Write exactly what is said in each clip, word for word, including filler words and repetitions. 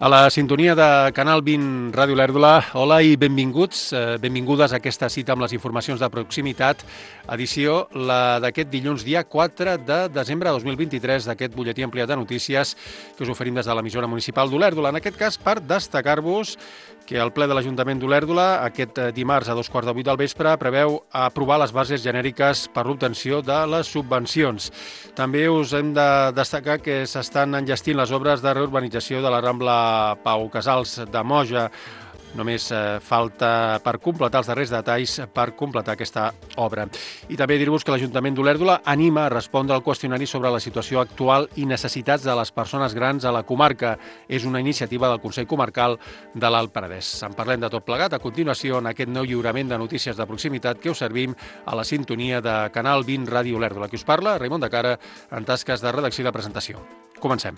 A la sintonia de Canal vint Ràdio Olèrdola, hola i benvinguts, eh, benvingudes a aquesta cita amb les informacions de proximitat, edició la d'aquest dilluns, dia quatre de desembre de dos mil vint-i-tres, d'aquest butlletí ampliat de notícies que us oferim des de l'emissora municipal d'Olèrdola. En aquest cas, per destacar-vos que el ple de l'Ajuntament d'Olèrdola, aquest dimarts a dos quarts de vuit del vespre, preveu aprovar les bases genèriques per l'obtenció de les subvencions. També us hem de destacar que s'estan enllestint les obres de reurbanització de la Rambla Pau Casals de Moja. Només eh, falta per completar els darrers detalls per completar aquesta obra. I també dir-vos que l'Ajuntament d'Olèrdola anima a respondre al qüestionari sobre la situació actual i necessitats de les persones grans a la comarca. És una iniciativa del Consell Comarcal de l'Alt Penedès. En parlem de tot plegat a continuació en aquest nou lliurament de notícies de proximitat que us servim a la sintonia de Canal vint Ràdio Olèrdola. Qui us parla, Raimon de Cara, en tasques de redacció i de presentació. Comencem.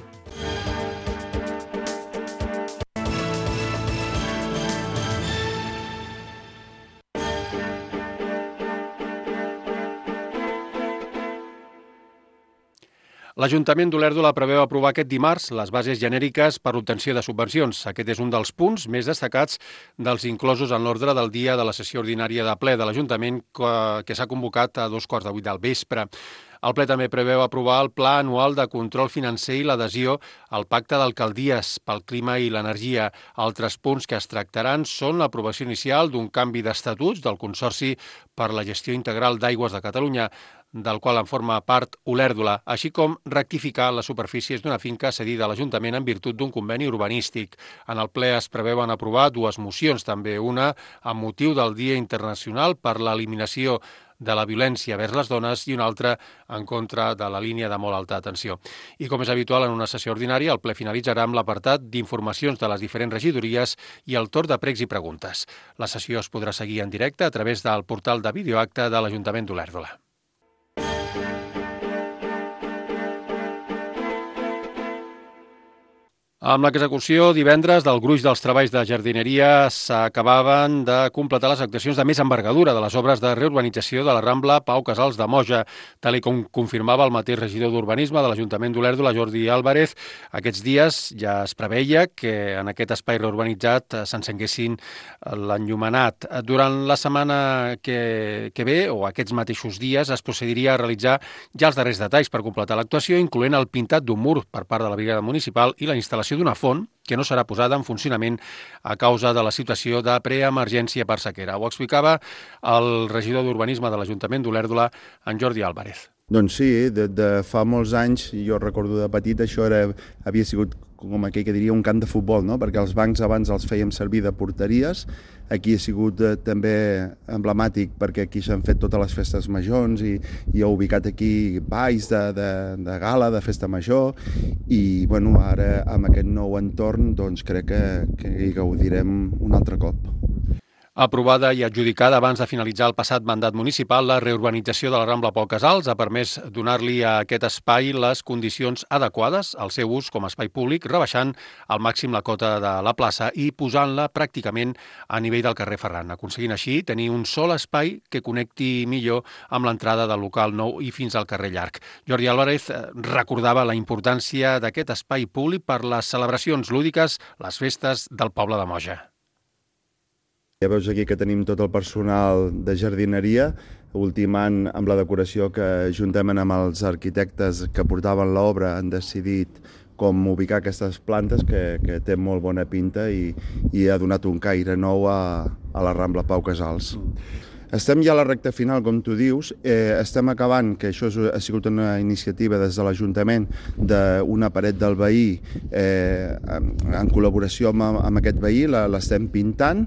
L'Ajuntament d'Olèrdola preveu aprovar aquest dimarts les bases genèriques per l'obtenció de subvencions. Aquest és un dels punts més destacats dels inclosos en l'ordre del dia de la sessió ordinària de ple de l'Ajuntament que s'ha convocat a dos quarts de vuit del vespre. El ple també preveu aprovar el Pla Anual de Control Financer i l'adhesió al Pacte d'Alcaldies pel Clima i l'Energia. Altres punts que es tractaran són l'aprovació inicial d'un canvi d'estatuts del Consorci per la Gestió Integral d'Aigües de Catalunya, del qual en forma part Olèrdola, així com rectificar les superfícies d'una finca cedida a l'Ajuntament en virtut d'un conveni urbanístic. En el ple es preveuen aprovar dues mocions, també una amb motiu del Dia Internacional per l'Eliminació de la violència vers les dones i una altra en contra de la línia de molt alta tensió. I com és habitual en una sessió ordinària, el ple finalitzarà amb l'apartat d'informacions de les diferents regidories i el torn de pregs i preguntes. La sessió es podrà seguir en directe a través del portal de videoacte de l'Ajuntament d'Olèrdola. Amb l'execució divendres del gruix dels treballs de jardineria s'acabaven de completar les actuacions de més envergadura de les obres de reurbanització de la Rambla Pau Casals de Moja, tal i com confirmava el mateix regidor d'Urbanisme de l'Ajuntament d'Olèrdola, Jordi Álvarez. Aquests dies ja es preveia que en aquest espai reurbanitzat s'encenguessin l'enllumenat. Durant la setmana que, que ve, o aquests mateixos dies, es procediria a realitzar ja els darrers detalls per completar l'actuació, incloent el pintat d'un mur per part de la brigada municipal i la instal·lació d'una font que no serà posada en funcionament a causa de la situació de preemergència per sequera. Ho explicava el regidor d'Urbanisme de l'Ajuntament d'Olèrdola, en Jordi Álvarez. Doncs sí, de, de fa molts anys, jo recordo de petit, això era, havia sigut com aquell que diria un camp de futbol, no? Perquè els bancs abans els fèiem servir de porteries. Aquí ha sigut eh, també emblemàtic perquè aquí s'han fet totes les festes majors i, i ha ubicat aquí balls de, de, de gala, de festa major i bueno, ara amb aquest nou entorn doncs crec que, que hi gaudirem un altre cop. Aprovada i adjudicada abans de finalitzar el passat mandat municipal, la reurbanització de la Rambla Pau Casals ha permès donar-li a aquest espai les condicions adequades al seu ús com a espai públic, rebaixant al màxim la cota de la plaça i posant-la pràcticament a nivell del carrer Ferran, aconseguint així tenir un sol espai que connecti millor amb l'entrada del local nou i fins al carrer Llarg. Jordi Álvarez recordava la importància d'aquest espai públic per les celebracions lúdiques, les festes del poble de Moja. Ja veus aquí que tenim tot el personal de jardineria, ultimant amb la decoració que juntament amb els arquitectes que portaven l'obra han decidit com ubicar aquestes plantes que, que té molt bona pinta i, i ha donat un caire nou a, a la Rambla Pau Casals. Estem ja a la recta final, com tu dius, eh, estem acabant, que això ha sigut una iniciativa des de l'Ajuntament d'una paret del veí, eh, en col·laboració amb, amb aquest veí, l'estem pintant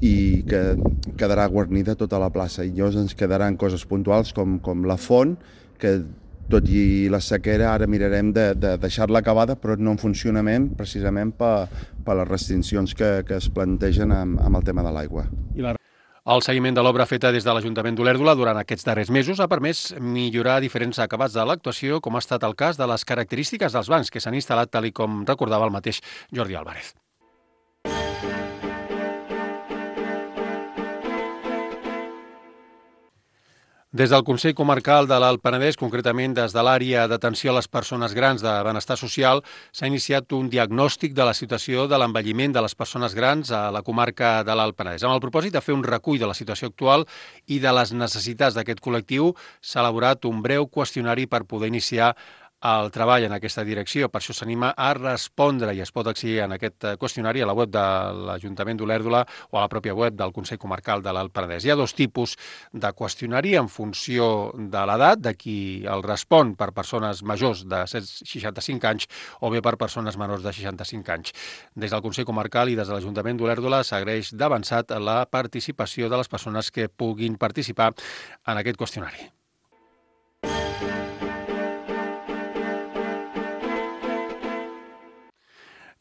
i que quedarà guarnida tota la plaça. I llavors ens quedaran coses puntuals com, com la font, que tot i la sequera ara mirarem de, de deixar-la acabada, però no en funcionament precisament per, per les restriccions que, que es plantegen amb, amb el tema de l'aigua. I la... El seguiment de l'obra feta des de l'Ajuntament d'Olèrdola durant aquests darrers mesos ha permès millorar diferents acabats de l'actuació, com ha estat el cas de les característiques dels bancs que s'han instal·lat, tal i com recordava el mateix Jordi Álvarez. Des del Consell Comarcal de l'Alt Penedès, concretament des de l'àrea d'atenció a les persones grans de benestar social, s'ha iniciat un diagnòstic de la situació de l'envelliment de les persones grans a la comarca de l'Alt Penedès. Amb el propòsit de fer un recull de la situació actual i de les necessitats d'aquest col·lectiu, s'ha elaborat un breu qüestionari per poder iniciar el treball en aquesta direcció. Per això s'anima a respondre i es pot accedir en aquest qüestionari a la web de l'Ajuntament d'Olèrdola o a la pròpia web del Consell Comarcal de l'Alt Penedès. Hi ha dos tipus de qüestionari en funció de l'edat, de qui el respon per persones majors de seixanta-cinc anys o bé per persones menors de seixanta-cinc anys. Des del Consell Comarcal i des de l'Ajuntament d'Olèrdola s'agraeix d'avançat la participació de les persones que puguin participar en aquest qüestionari.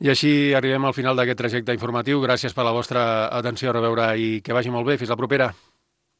I així arribem al final d'aquest trajecte informatiu. Gràcies per la vostra atenció, a reveure i que vagi molt bé. Fins la propera.